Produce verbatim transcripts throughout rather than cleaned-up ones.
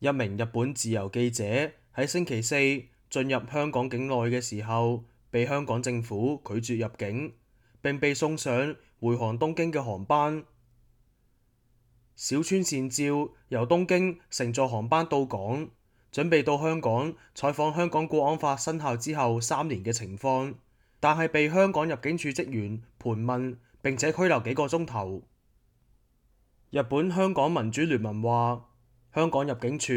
一名日本自由記者喺星期四進入香港境內嘅時候，被香港政府拒絕入境，並被送上回航東京嘅航班。小川善照由東京乘坐航班到港，準備到香港採訪香港國安法生效之後三年嘅情況，但係被香港入境處職員盤問並且拘留幾個鐘頭。日本香港民主聯盟話，香港入境處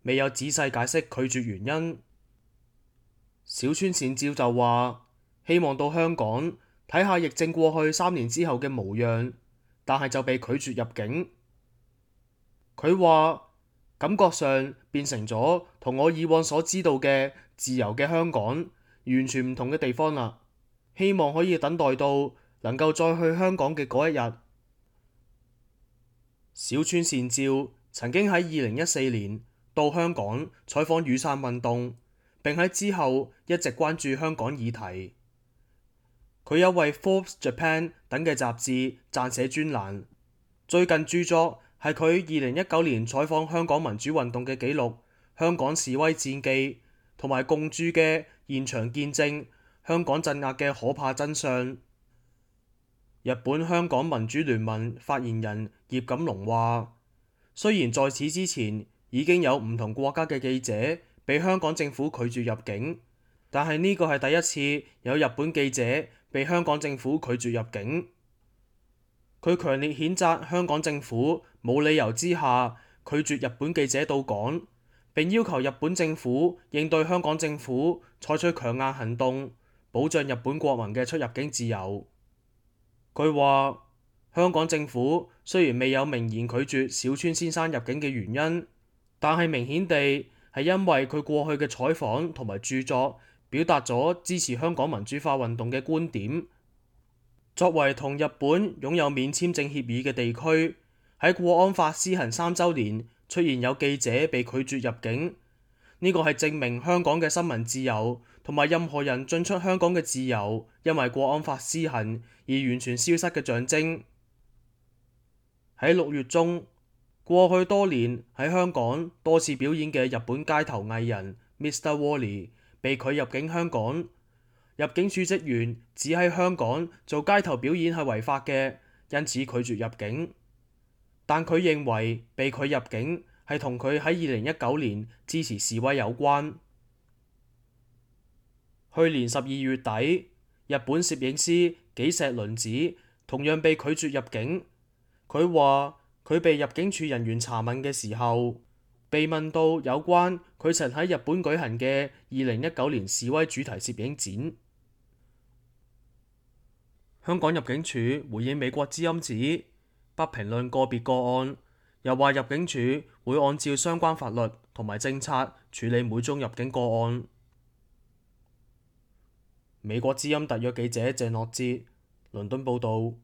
未有仔細解釋拒絕原因。小川善照就話，希望到香港睇下疫症過去三年之後嘅模樣，但係就被拒絕入境。佢話感覺上變成咗同我以往所知道嘅自由嘅香港完全唔同嘅地方啦，希望可以等待到能夠再去香港嘅嗰一日。小川善照曾經喺二零一四年到香港採訪雨傘運動，並喺之後一直關注香港議題。佢有為 Forbes Japan 等嘅雜誌撰寫專欄，最近著作係佢二零一九年採訪香港民主運動嘅紀錄《香港示威戰記》，同埋共著嘅現場見證香港鎮壓嘅可怕真相。日本香港民主聯盟發言人葉錦龍話，雖然在此之前已經有唔同國家嘅記者被香港政府拒絕入境，但係呢個係第一次有日本記者被香港政府拒絕入境。佢強烈譴責香港政府冇理由之下拒絕日本記者到港，並要求日本政府應對香港政府採取強硬行動，保障日本國民嘅出入境自由。佢話，香港政府雖然未有明言拒絕小川先生入境嘅原因，但係明顯地係因為佢過去嘅採訪同埋著作表達咗支持香港民主化運動嘅觀點。作為同日本擁有免簽證協議嘅地區，喺國安法施行三週年出現有記者被拒絕入境，呢個係證明香港嘅新聞自由同埋任何人進出香港嘅自由因為國安法施行而完全消失嘅象徵。喺六月中，過去多年喺香港多次表演嘅日本街頭藝人 Mr. Wally 被拒入境香港。入境處職員指喺香港做街頭表演係違法嘅，因此拒絕入境。但佢認為被拒入境係同佢喺二零一九年支持示威有關。去年十二月底，日本攝影師紀石麟子同樣被拒絕入境。佢話佢被入境處人員查問嘅時候，被問到有關佢曾喺日本舉行嘅二零一九年示威主題攝影展。香港入境處回應美國之音指不評論個別個案，又話入境處會按照相關法律同埋政策處理每宗入境個案。美國之音特約記者鄭樂哲，倫敦報導。